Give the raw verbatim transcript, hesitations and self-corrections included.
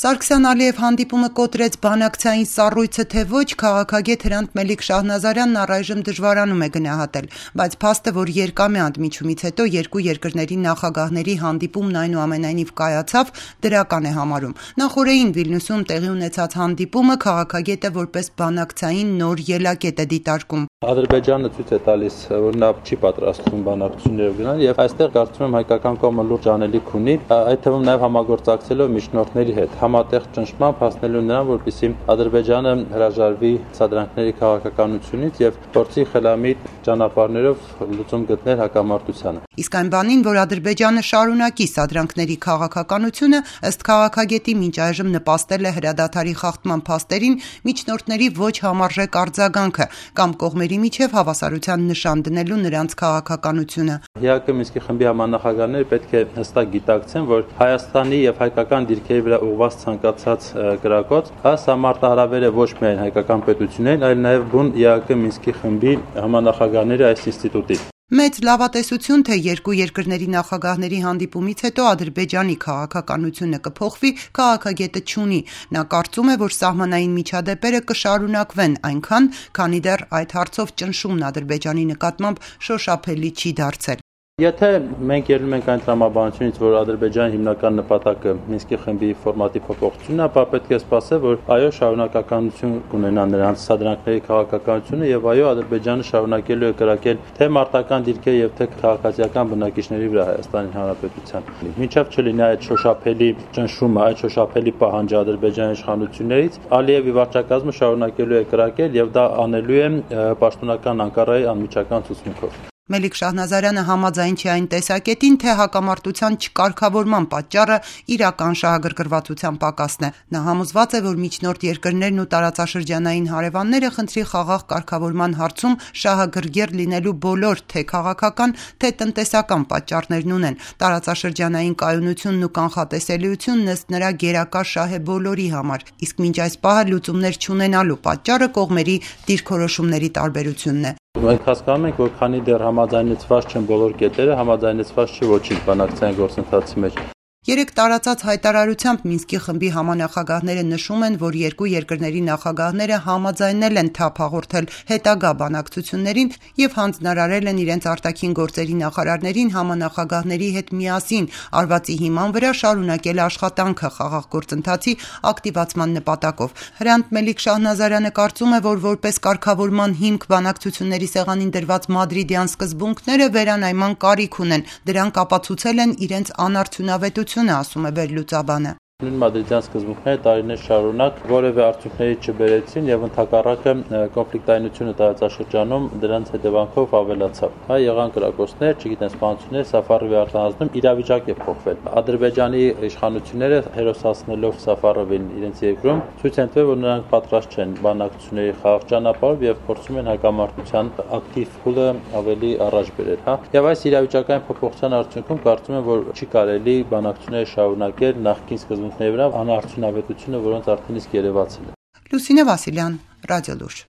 Սարգսյան-Ալիև հանդիպումը կոտրեց բանակցային սառույցը թե ոչ, քաղաքագետ Հրանտ Մելիք Շահնազարյանն առայժմ դժվարանում է գնահատել, բայց փաստը, որ երկամյա ընդմիջումից հետո երկու երկրների նախագահների հանդիպումն այնուամենայնիվ կայացավ, դրական է համարում։ Նախօրեին Վիլնյուսում տեղի ունեցած հանդիպումը քաղաքագետը որպես բանակցային նոր ելակետ է դիտարկում։ Ադրբեջանը ցույց է տալիս, որ նա չի պատրաստվում բանակցություններով գնալ, եւ այստեղ կարծում եմ հայկական կողմը լուրջ անելիք ունի, այդ թվում նաեւ համագործակցելով միջնորդների հետ, համատեղ ճնշմամբ հասնելու նրան, որպեսզի Ադրբեջանը հրաժարվի սադրանքների քաղաքականությունից եւ փորձի խելամիտ ճանապարհներով լուծում գտնել հակամարտությանը։ Իսկ այն բանին, որ Ադրբեջանը շարունակի սադրանքների քաղաքականությունը, ըստ քաղաքագետի մինչ այժմ նպաստել է հրադադարի խախտման փաստերին միջնորդների ոչ համարժեք արձագանքը կամ կողմերի միջև հավասարության նշան դնելու նրանց քաղաքականությունը։ ՀԱԿ Մինսկի խմբի համանախագահները պետք է հստակ գիտակցեն, որ Հայաստանի եւ հայկական դիրքերի վրա ուղղված ցանկացած կրակոց, սա մարտահրավեր է ոչ միայն հայկական պետություններին, այլ նաեւ բուն ՀԱԿ Մինսկի խմբի համանախագահների այս ինստիտուտին։ Մեծ լավատեսություն, թե երկու երկրների նախագահների հանդիպումից հետո Ադրբեջանի քաղաքականությունը կփոխվի, քաղաքագետը չունի։ Նա կարծում է, որ սահմանային միջադեպերը կշարունակվեն այնքան, քանի դեռ այդ հարցով ճնշումն Ադրբեջանի նկատմամբ շոշափելի չի դարձել։ Եթե մենք ելնում ենք այն տրամաբանությունից, որ Ադրբեջանի հիմնական նպատակը Մինսկի խմբի ֆորմատի փոփոխությունն է, ապա պետք է սպասել, որ այո, շարունակականություն կունենա նրանց սադրանքների քաղաքականությունը եւ այո, Ադրբեջանը շարունակելու է կրակել թե մարտական դիրքեր եւ թե քաղաքացիական բնակիչների վրա Հայաստանի Հանրապետության։ Մինչեւ չլինի այդ շոշափելի ճնշումը, այդ շոշափելի պահանջը Ադրբեջանի իշխանություններից, Ալիևի վարչակազմը շարունակելու է կրակել եւ դա անելու է պաշտոնական Անկարայի անմիջական ցուցմունքով։ Մելիք Շահնազարյանը համաձայն չի այն տեսակետին, թե հակամարտության չկարգավորման պատճառը իրական շահագրգռվածության պակասն է։ Նա համոզված է, որ միջնորդ երկրներն ու տարածաշրջանային հարևանները խնդրի խաղաղ կարգավորման հարցում շահագրգիռ լինելու բոլոր թե քաղաքական, թե տնտեսական պատճառներն ունեն։ Տարածաշրջանային կայունությունն ու կանխատեսելիությունն ըստ նրա գերակա շահ է բոլորի համար, իսկ մինչ այս պահը լուծումներ չունենալու պատճառը կողմերի դիրքորոշումների տարբերությունն է։ Մենք հասկանում ենք, որ քանի դեռ համաձայնեցված չեն բոլոր կետերը, համաձայնեցված չի ոչինչ բանակցային գործընթացի մեջ։ Երեք տարածած հայտարարությամբ Մինսկի խմբի համանախագահները նշում են, որ երկու երկրների նախագահները համաձայնել են թափ հաղորդել հետագա բանակցություններին եւ հանձնարարել են իրենց արտաքին գործերի նախարարներին համանախագահների հետ միասին արվածի հիման վրա շարունակել աշխատանքը խաղաղ գործընթացի ակտիվացման նպատակով։ Հրանտ Մելիք Շահնազարյանը կարծում է, որ որպես կարգավորման հիմք բանակցությունների սեղանին դրված մադրիդյան սկզբունքները վերանայման կարիք ունեն, դրանք ապացուցել են իրենց անարդյունավետությունը, ասում է վերլուծաբանը։ Նույն մադրիդյան սկզբունքները տարիներ շարունակ որևէ արդյունքների չբերեցին եւ ընդհակառակը կոնֆլիկտայնությունը տարածաշրջանում դրանց հետևանքով ավելացավ։ Հա եղան կրակոցներ, չգիտեն սպանություններ, Սաֆարովի արտահանձնում իրավիճակ է փոխվել։ Ադրբեջանի իշխանությունները հերոսացնելով Սաֆարովին իրենց երկրում ցույց են տվել, որ նրանք պատրաստ չեն բանակցությունների խաղաղ ճանապարհով եւ փորձում են հակամարտության ակտիվ փուլը ավելի առաջ բերել, հա։ Եվ այս իրավիճակային փոփոխության արդյունքում կարծում եմ, որ չի կարելի բանակցությունները շարունակել նախկին սկզբունքների վրա անարդյունավետությունը, որոնց արդեն իսկ երևացել է։ Լուսինե Վասիլյան, Ռադիոլուրջ։